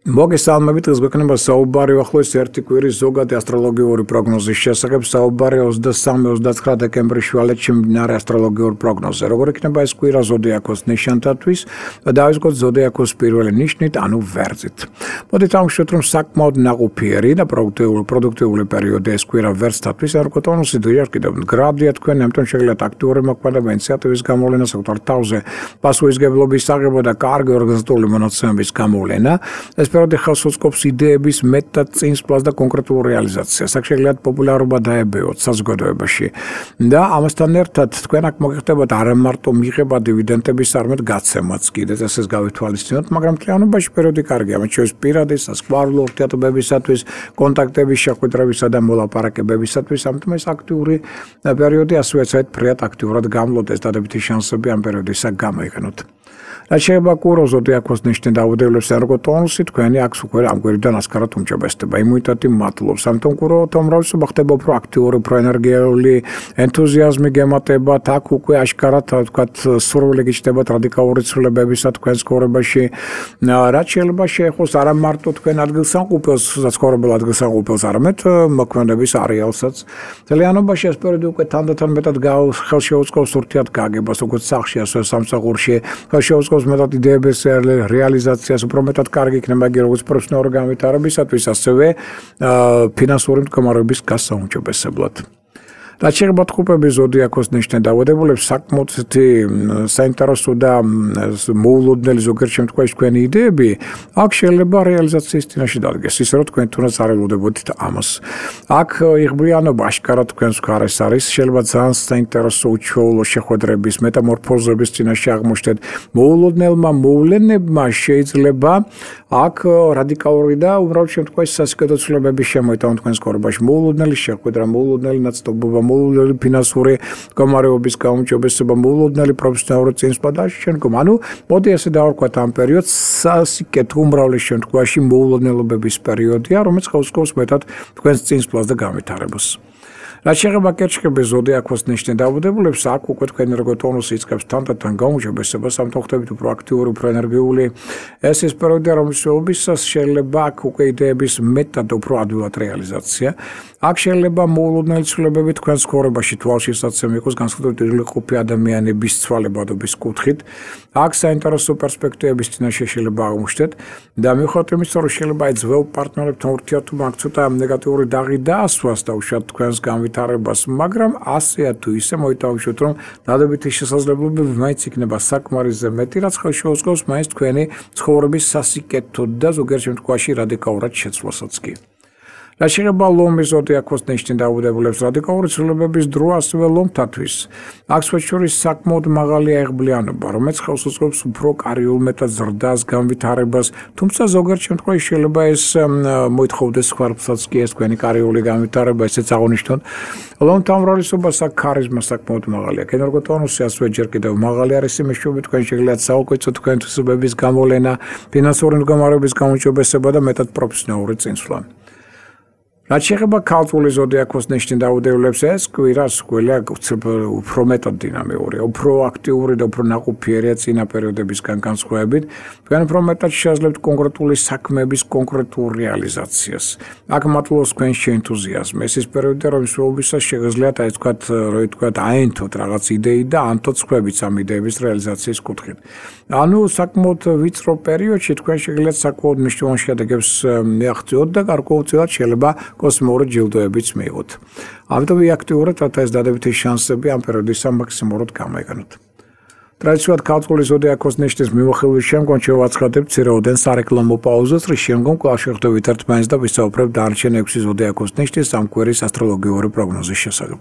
მოგესალმებით, დღეს გვექნება საუბარი ახლოს ერთი კვირის ზოგადი ასტროლოგიური პროგნოზის შესახებ. საუბარი 23-29 დეკემბრის შუალედში მიმდინარე ასტროლოგიურ პროგნოზზე. როგორ იქნება ეს კვირა ზოდიაქოს ნიშანთათვის და დავიწყოთ ზოდიაქოს პირველი ნიშნით, ანუ ვერძით. მოდით ავშვათ, რომ საკმაოდ ნაყოფიერი და პროდუქტიული პერიოდი ეს კვირა ვერძთათვის, არქო ტონუსი დღეა კიდევ მდგრადია თქვენ, ამიტომ შეგიძლიათ აქტიური მოქმედება, ინიციატივის გამოვლენა, საკუთარ თავზე პასუხისმგებლობის აღება და კარგი ორგანიზებული მონაცემების გამოვლენა. ეს პერიოდი ხელს უწყობს იდეების მეტად წინსვლას და კონკრეტულ რეალიზაციას. აქ შეგიძლიათ პოპულარობა დაებეოთ საზოგადოებაში და ამასთან ერთად თქვენ აქ მოგიხდებათ არა მარტო მიღება დივიდენდების, არამედ გაცემაც კიდეც ესეც გავითვალისწინოთ, მაგრამ მთლიანობაში პერიოდი კარგია, მათ შორის პირადი სასკვალო ურთიერთობებისათვის, კონტაქტების შეხვედრებისა და მოლაპარაკებებისათვის, ამიტომ ეს აქტიური პერიოდი ასევე საერთოდ ფრიად აქტიურად გამლოდეს, დადებითი შანსები ამ პერიოდისაკ გამოიყენოთ. რაც შეება კურო ზოდიაქოს ნიშნით დაუდევლებს ერგო ტონუსი თქვენი აქ უკვე ამ კვირიდან ასკარად უმჯობესდება იმუნიტეტი მატლობს ამიტომ კურო თომრავლობა ხდება უფრო აქტიური უფრო ენერგიული ენთუზიაზმი გემატებათ აქ უკვე აშკარად თქვათ სურვილი გიჩნდებათ რადიკალური ცვლილებებისა თქვენს ცხოვრებაში რაც შეიძლება შეეხოს არა მარტო თქვენ ადგილსამყოფელს ცხოვრებელ ადგილსამყოფელს არამედ მოქმედების არეალსაც ძალიანობაში ეს პერიოდი უკვე თანდათან მეტად ხელშეუწყობს ურთიერთგაგებას როგორც სახლში ასევე სამსახურში ხელშეუწყობს მეტად იდეების რეალიზაციას უფრო მეტად კარგი იქნება იგი როგორც პროფესიონალური განვითარებისათვის ასევე ფინანსური მდგომარეობის გასაუმჯობესებლად. რაც შეეხება ტყუპების ზოდიაქოს ნიშნით დაავადებულებს საკმაოდ საინტერესო და მოულოდნელი ზოგიერთ შემთხვევაში თქვენი იდეები აქ შეიძლება რეალიზაციის წინაშე დადგეს ისე რომ თქვენ თუნდაც არ ელოდებოდით ამას. აქ იღბლიანობა აშკარად თქვენს მხარეს არის შეიძლება ძალიან საინტერესო უჩვეულო შეხვედრების მეტამორფოზების წინაშე აღმოჩნდეთ მოულოდნელმა მოვლენებმა შეიძლება აქ რადიკალური და უბრალოდ შემთხვევაში სასიკეთო ცვლილებების შემოიტანონ თქვენს ცხოვრებაში მოულოდნელი შეხვედრა მოულოდნელი ნაწილობობა მოულოდნელი ფინანსური მდგომარეობის გაუმჯობესება, მოულოდნელი პროფესიონალური წინსვლა და შემდგომ. ანუ მოდი ესე დავარქვათ ამ პერიოდს სასიკეთო უმრავლეს შემთხვევაში მოულოდნელობების პერიოდია, რომელიც ხელს მეტად თქვენს წინსვლას და განვითარებას. რაც შეეხება კერჩხების ზოდიაქოს ნიშნით დაავადებულებს, აქ უკვე თქვენი ერგო ტონუსი იწყებს თანდათან გაუმჯობესებას, ამიტომ ხდებით უფრო აქტიური, უფრო ენერგიული. ეს ის პერიოდია, რომელშიც შეიძლება აქ უკვე იდეების მეტად უფრო ადვილად რეალიზაცია. აქ შეიძლება მოულოდნელი ცვლილებები თქვენს ცხოვრებაში თვალშისაცემი იყოს განსაკუთრებით იღლიყופי ადამიანების ცვალებადობის კუთხით. აქ საინტერესო პერსპექტივების წინაშე შეიძლება აღმოჩნდეთ და მიუხედავად იმისა, რომ შეიძლება აი ძველ პარტნიორებთან ურთიერთობა აქ ცოტა ნეგატიური დაღი დაასვას და უშუალოდ თქვენს განვითარებას, მაგრამ ასეა თუ ისე მოითხოვოთ, რომ დადებითი შესაძლებლობები მაინც იქნება საკმარისზე მეტი, რაც ხელშეუწყობს მაინც თქვენი ცხოვრების სასიკეთოდ და ზოგიერთ შემთხვევაში რადიკალურად შეცვლასაც კი. რაც შეეხება ლომის ზოდიაქოს ნიშნით დაავადებულებს, რადიკალური ცვლილებების დრო ასევე ლომთათვის. აქ შორის საკმაოდ მაღალია იღბლიანობა, რომელიც ხელს უწყობს უფრო კარიულ მეტად ზრდას, განვითარებას, თუმცა ზოგიერთ შემთხვევაში შეიძლება ეს მოითხოვდეს ხარბსაც კი ეს თქვენი კარიული განვითარება, ესეც აღნიშნოთ. ლომთა უმრავლესობას აქ ქარიზმა საკმაოდ მაღალია. ენერგო ტონუსი ასევე ჯერ კიდევ მაღალი არის იმის შუქით თქვენ შეგიძლიათ საუკეთესო თქვენთვისებების გამოვლენა, ფინანსური მდგომარეობის გაუმჯობესება და მეტად პროფესიონალური წინსვლა. რაც შეეხება ქალწული ზოდიაქოს ნიშნით დაავადებულებს, ეს კვირა უფრო მეტად დინამიურია, უფრო აქტიური და უფრო ნაყოფიერია წინა პერიოდებისგან განსხვავებით. თქვენ უფრო მეტად შეაძლებთ კონკრეტული საქმეების კონკრეტულ რეალიზაციას. აქ მატლობს თქვენში ენთუზიაზმი. ეს ის პერიოდია, რომელშიც შეგიძლიათ აი თქვათ აენთოთ რაღაც იდეი და ანთოთ სხვებიც ამ იდეების რეალიზაციის კუთხით. ანუ საკმაოდ ვიწრო პერიოდში თქვენ შეგიძლიათ საკმაოდ მნიშვნელოვან შედეგებს მიაღწიოთ და გარკვეულწილად შეიძლება კოსმიური ჯილდოებიც მიიღოთ. ამიტომ აქტიურად ეს დადებითი შანსები ამ პერიოდისა მაქსიმალურად გამოიყენოთ. ტრადიციულად ქალწული ზოდიაქოს ნიშნის მიმოხილვის შემდგომ შევაცხადებთ ცირეოდენ სარეკლამო პაუზას, რის შემდგომ კვლავ შევხვდებით ერთმანეთს და ვისაუბრებთ დანარჩენ 6 ზოდიაქოს ნიშნის ამ კვირის ასტროლოგიური პროგნოზის შესახებ.